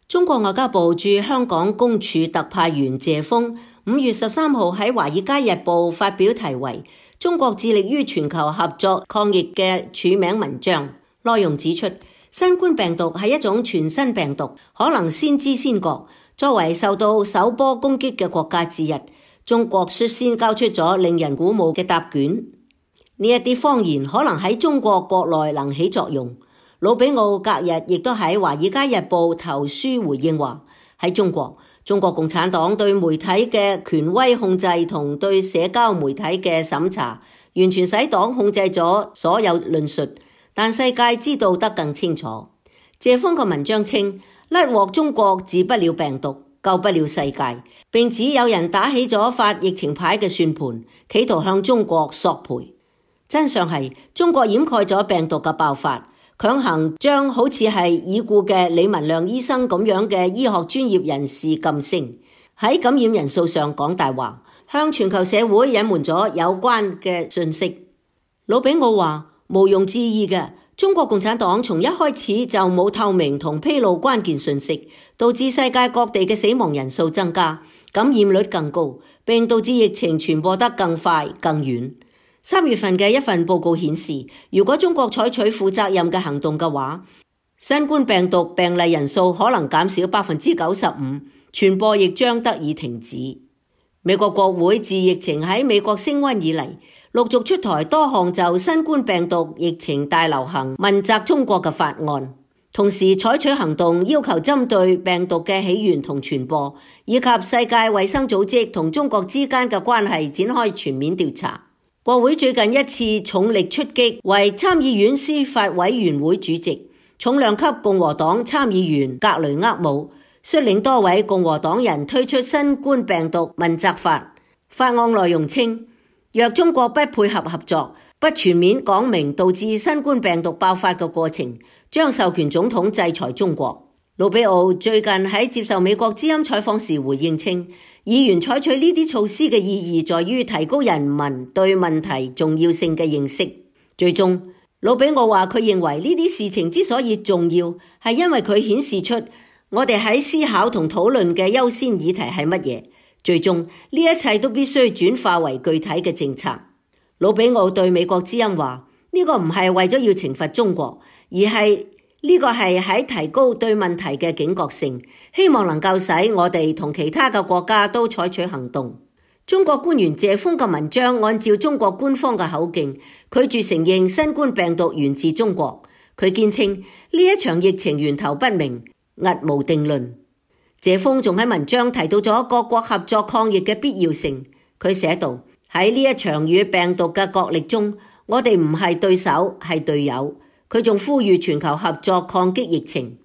中國外交部駐香港公署特派員謝鋒5月13號喺《華爾街日報》發表題為《中國致力於全球合作抗疫》嘅署名文章，內容指出，新冠病毒係一種全新病毒，可能先知先覺。作為受到首波攻擊嘅國家之一，中國率先交出咗令人鼓舞嘅答卷。呢一啲謊言可能喺中國國內能起作用。魯比奧隔日亦都喺《華爾街日報》投書回應話，喺中國共產黨對媒體嘅權威控制同對社交媒體嘅審查，完全使黨控制咗所有論述，但世界知道得更清楚。謝鋒嘅文章稱，甩鑊中國治不了病毒，救不了世界，並指有人打起咗發疫情牌嘅算盤，企圖向中國索賠。真相係中國掩蓋咗病毒嘅爆發，強行將好似係已故嘅李文亮醫生咁樣嘅醫學專業人士禁聲，喺感染人數上講大話，向全球社會隱瞞咗有關嘅信息。魯比奧話，毋庸置疑嘅，中國共產黨從一開始就冇透明同披露關鍵信息，導致世界各地嘅死亡人數增加，感染率更高，並導致疫情傳播得更快更遠。3月份嘅一份報告顯示，如果中國採取負責任嘅行動嘅話，新冠病毒病例人數可能減少 95%， 傳播亦將得以停止。美國國會自疫情喺美國升溫以嚟，陸續出台多項就新冠病毒疫情大流行問責中國嘅法案，同時採取行動要求針對病毒嘅起源同傳播，以及世界衛生組織同中國之間嘅關係展開全面調查。國會最近一次重力出擊為參議院司法委員會主席，重量級共和黨參議員格雷厄姆率領多位共和黨人推出新冠病毒問責法。法案內容稱，若中國不配合合作，不全面講明導致新冠病毒爆發嘅過程，將授權總統制裁中國。魯比奧最近喺接受美國之音採訪時回應稱，議員採取呢啲措施嘅意義在於提高人民對問題重要性嘅認識。最終，魯比奧話佢認為呢啲事情之所以重要，係因為佢顯示出我哋喺思考同討論嘅優先議題係乜嘢。最終，呢一切都必須轉化為具體嘅政策。魯比奧對美國之音話，呢個唔係為咗要懲罰中國，而係呢個係喺提高對問題嘅警覺性，希望能夠使我哋同其他嘅國家都採取行動。中國官員謝鋒嘅文章按照中國官方嘅口徑，拒絕承認新冠病毒源自中國。佢堅稱呢一場疫情源頭不明，佚無定論。謝鋒仲喺文章提到咗各國合作抗疫嘅必要性。佢寫道，喺呢一場與病毒嘅角力中，我哋唔係對手，係隊友。佢仲呼籲全球合作抗擊疫情。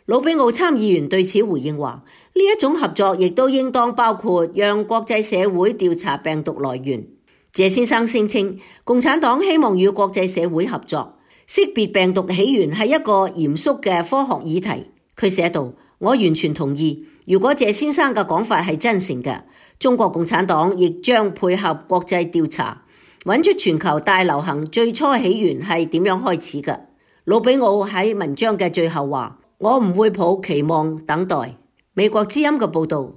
魯比奧參議員對此回應話，呢一種合作亦都應當包括讓國際社會調查病毒來源。謝先生聲稱，共產黨希望與國際社會合作，識別病毒起源係一個嚴肅嘅科學議題。佢寫道，我完全同意，如果謝先生嘅講法係真誠嘅，中國共產黨亦將配合國際調查，揾出全球大流行最初起源係點樣開始嘅。魯比奧喺文章嘅最後話，我唔會抱期望等待。美國之音嘅報導。